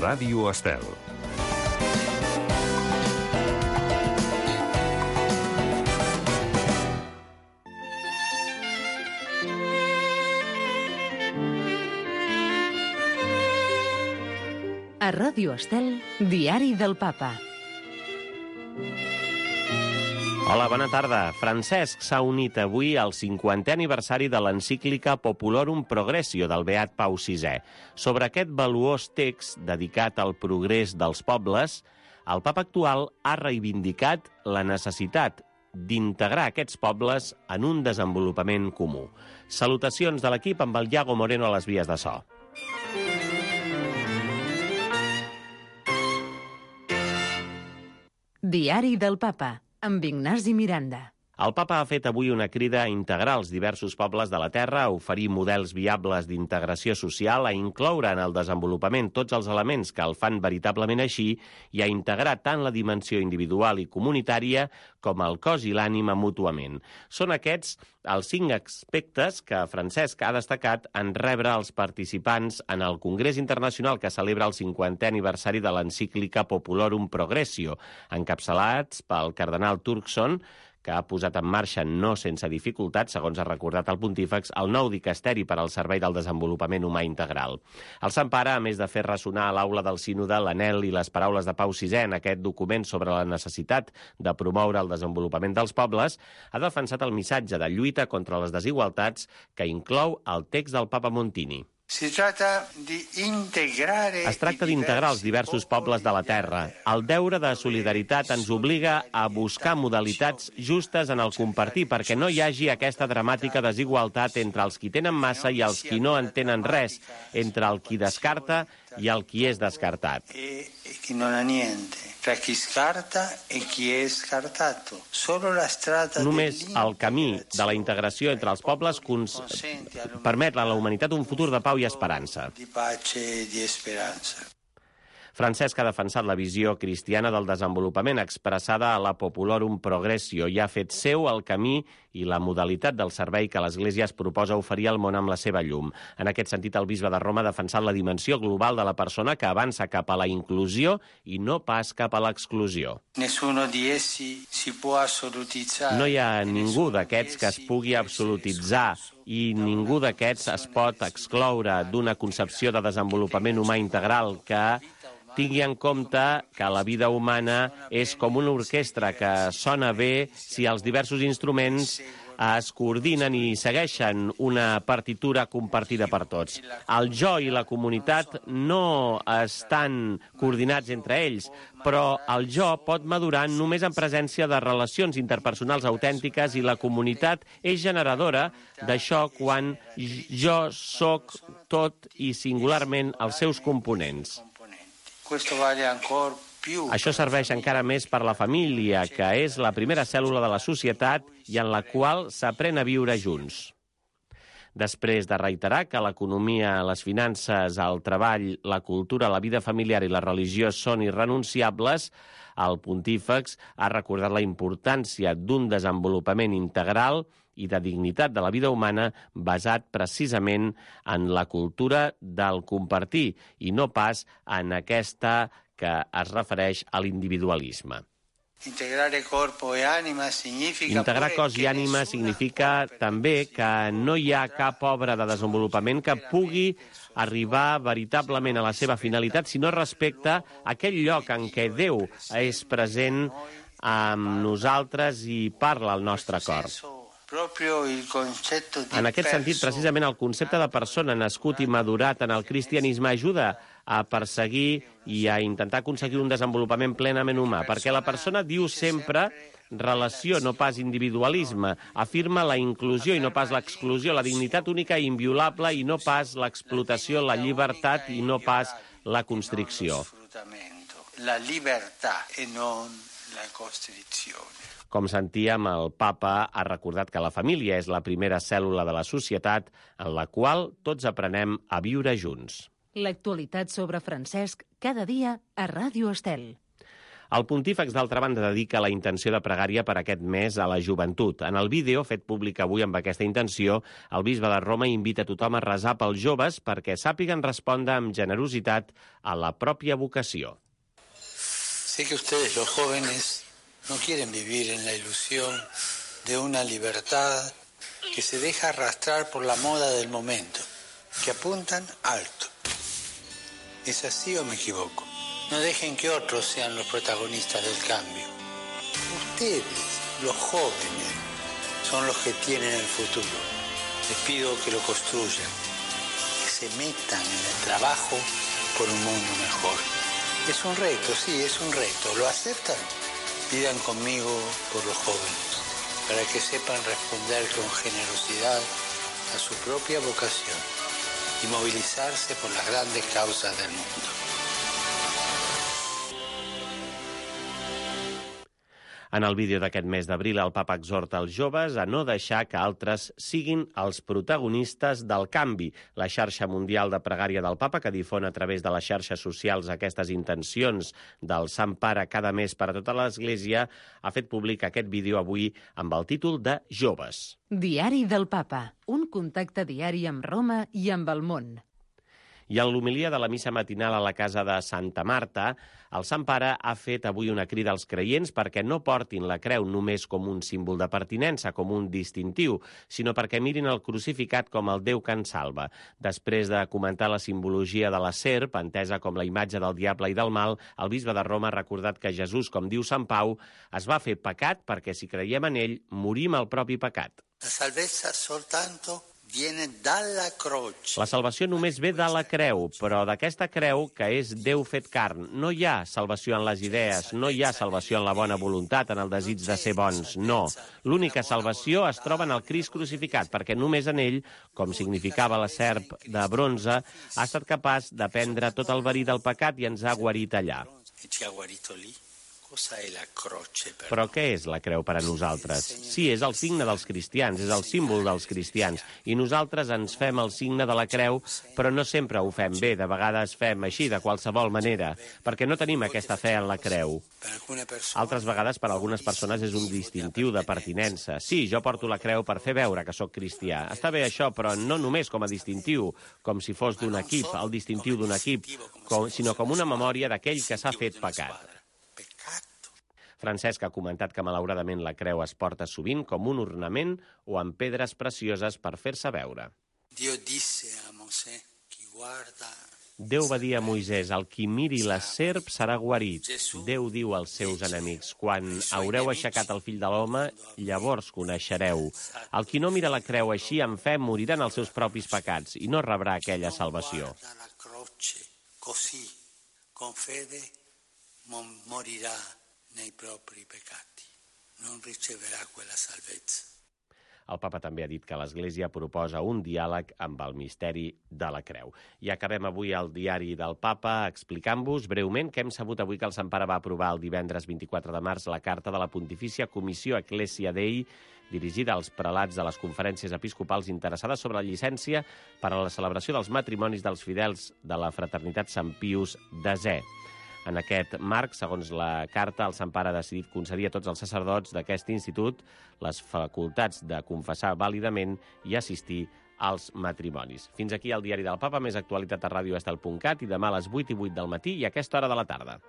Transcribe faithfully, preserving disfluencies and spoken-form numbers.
Ràdio Estel. A Ràdio Estel, Diari del Papa. Hola, bona tarda. Francesc s'ha unit avui al cinquantè aniversari de l'encíclica Populorum Progressio del beat Pau sisè. Sobre aquest valuós text dedicat al progrés dels pobles, el papa actual ha reivindicat la necessitat d'integrar aquests pobles en un desenvolupament comú. Salutacions de l'equip amb el Iago Moreno a les vies de so. Diari del Papa, amb Ignasi Miranda. El papa ha fet avui una crida a integrar els diversos pobles de la Terra, a oferir models viables d'integració social, a incloure en el desenvolupament tots els elements que el fan veritablement així i a integrar tant la dimensió individual i comunitària com el cos i l'ànima mútuament. Són aquests els cinc aspectes que Francesc ha destacat en rebre els participants en el Congrés Internacional que celebra el cinquantè aniversari de l'encíclica Populorum Progressio, encapçalats pel cardenal Turkson, que ha posat en marxa no sense dificultat, segons ha recordat el pontífex, el nou dicasteri per al servei del desenvolupament humà integral. El Sant Pare, a més de fer ressonar a l'aula del sínode l'anhel i les paraules de Pau sisè en aquest document sobre la necessitat de promoure el desenvolupament dels pobles, ha defensat el missatge de lluita contra les desigualtats que inclou el text del Papa Montini. Es tracta d'integrar els diversos pobles de la Terra. El deure de solidaritat ens obliga a buscar modalitats justes en el compartir perquè no hi hagi aquesta dramàtica desigualtat entre els qui tenen massa i els qui no en tenen res, entre el qui descarta i el qui és descartat. Chi non ha niente, tra chi scarta e chi è scartato. Solo la strada Només el camí de la integració entre els pobles cons... permet a la humanitat un futur de pau i esperança. Di pace e di speranza. Francesc ha defensat la visió cristiana del desenvolupament expressada a la Populorum Progressio i ha fet seu el camí i la modalitat del servei que l'Església es proposa oferir al món amb la seva llum. En aquest sentit, el bisbe de Roma ha defensat la dimensió global de la persona que avança cap a la inclusió i no pas cap a l'exclusió. Nessuno di essi si può assolutizzare. No hi ha ningú d'aquests que es pugui absolutitzar i ningú d'aquests es pot excloure d'una concepció de desenvolupament humà integral que tingui en compte que la vida humana és com una orquestra que sona bé si els diversos instruments es coordinen i segueixen una partitura compartida per tots. El jo i la comunitat no estan coordinats entre ells, però el jo pot madurar només en presència de relacions interpersonals autèntiques i la comunitat és generadora d'això quan jo sóc tot i singularment els seus components. Això serveix encara més per la família, que és la primera cèl·lula de la societat i en la qual s'aprèn a viure junts. Després de reiterar que l'economia, les finances, el treball, la cultura, la vida familiar i la religió són irrenunciables, el pontífex ha recordat la importància d'un desenvolupament integral i de dignitat de la vida humana basat precisament en la cultura del compartir i no pas en aquesta que es refereix a l'individualisme. Integrar cos i ànima significa també que no hi ha cap obra de desenvolupament que pugui arribar veritablement a la seva finalitat si no respecta aquell lloc en què Déu és present amb nosaltres i parla al nostre cor. En aquest sentit, precisament el concepte de persona nascut i madurat en el cristianisme ajuda a perseguir i a intentar aconseguir un desenvolupament plenament humà, perquè la persona diu sempre relació, no pas individualisme, afirma la inclusió i no pas l'exclusió, la dignitat única i inviolable i no pas l'explotació, la llibertat i no pas la constricció. La llibertat i no la constricció. Com sentíem, el papa ha recordat que la família és la primera cèl·lula de la societat en la qual tots aprenem a viure junts. L'actualitat sobre Francesc cada dia a Ràdio Estel. El pontífex, d'altra banda, dedica la intenció de pregària per aquest mes a la joventut. En el vídeo, fet públic avui amb aquesta intenció, el bisbe de Roma invita a tothom a resar pels joves perquè sàpiguen respondre amb generositat a la pròpia vocació. Sé que ustedes, los jóvenes, no quieren vivir en la ilusión de una libertad que se deja arrastrar por la moda del momento, que apuntan alto. ¿Es así o me equivoco? No dejen que otros sean los protagonistas del cambio. Ustedes, los jóvenes, son los que tienen el futuro. Les pido que lo construyan, que se metan en el trabajo por un mundo mejor. Es un reto, sí, es un reto. ¿Lo aceptan? Pidan conmigo por los jóvenes, para que sepan responder con generosidad a su propia vocación y movilizarse por las grandes causas del mundo. En el vídeo d'aquest mes d'abril, el papa exhorta els joves a no deixar que altres siguin els protagonistes del canvi. La xarxa mundial de pregària del papa, que difon a través de les xarxes socials aquestes intencions del Sant Pare cada mes per a tota l'Església, ha fet públic aquest vídeo avui amb el títol de Joves. Diari del papa, un contacte diari amb Roma i amb el món. I en l'homilia de la missa matinal a la casa de Santa Marta, el Sant Pare ha fet avui una crida als creients perquè no portin la creu només com un símbol de pertinença, com un distintiu, sinó perquè mirin el crucificat com el Déu que ens salva. Després de comentar la simbologia de la serp, entesa com la imatge del diable i del mal, el bisbe de Roma ha recordat que Jesús, com diu Sant Pau, es va fer pecat perquè si creiem en ell, morim al propi pecat. La salvezza soltanto viene dalla croce. La salvació només ve de la creu, però d'aquesta creu que és Déu fet carn. No hi ha salvació en les idees, no hi ha salvació en la bona voluntat, en el desig de ser bons, no. L'única salvació es troba en el Crist crucificat, perquè només en ell, com significava la serp de bronze, ha estat capaç de prendre tot el verí del pecat i ens ha guarit allà. Però què és la creu per a nosaltres? Sí, és el signe dels cristians, és el símbol dels cristians, i nosaltres ens fem el signe de la creu, però no sempre ho fem bé, de vegades fem així, de qualsevol manera, perquè no tenim aquesta fe en la creu. Altres vegades, per a algunes persones, és un distintiu de pertinença. Sí, jo porto la creu per fer veure que sóc cristià. Està bé això, però no només com a distintiu, com si fos d'un equip, el distintiu d'un equip, sinó com una memòria d'aquell que s'ha fet pecat. Francesc ha comentat que malauradament la creu es porta sovint com un ornament o amb pedres precioses per fer-se veure. Déu va dir a Moisès, el qui miri la serp serà guarit. Déu diu als seus enemics, quan haureu aixecat el fill de l'home, llavors coneixereu. El qui no mira la creu així, en fe, morirà en els seus propis pecats i no rebrà aquella salvació. Così, con fede, morirà nei propri peccati, non riceverà quella salvezza. El papa també ha dit que l'Església proposa un diàleg amb el misteri de la creu. I acabem avui el diari del papa explicant-vos breument que hem sabut avui que el Sant Pare va aprovar el divendres vint-i-quatre de març la carta de la Pontifícia Comissió Ecclesia Dei dirigida als prelats de les conferències episcopals interessades sobre la llicència per a la celebració dels matrimonis dels fidels de la fraternitat Sant Pius desè. En aquest marc, segons la carta, el Sant Pare ha decidit concedir a tots els sacerdots d'aquest institut les facultats de confessar vàlidament i assistir als matrimonis. Fins aquí el diari del Papa, més actualitat a ràdio estel punt cat i demà a les vuit i vuit del matí i a aquesta hora de la tarda.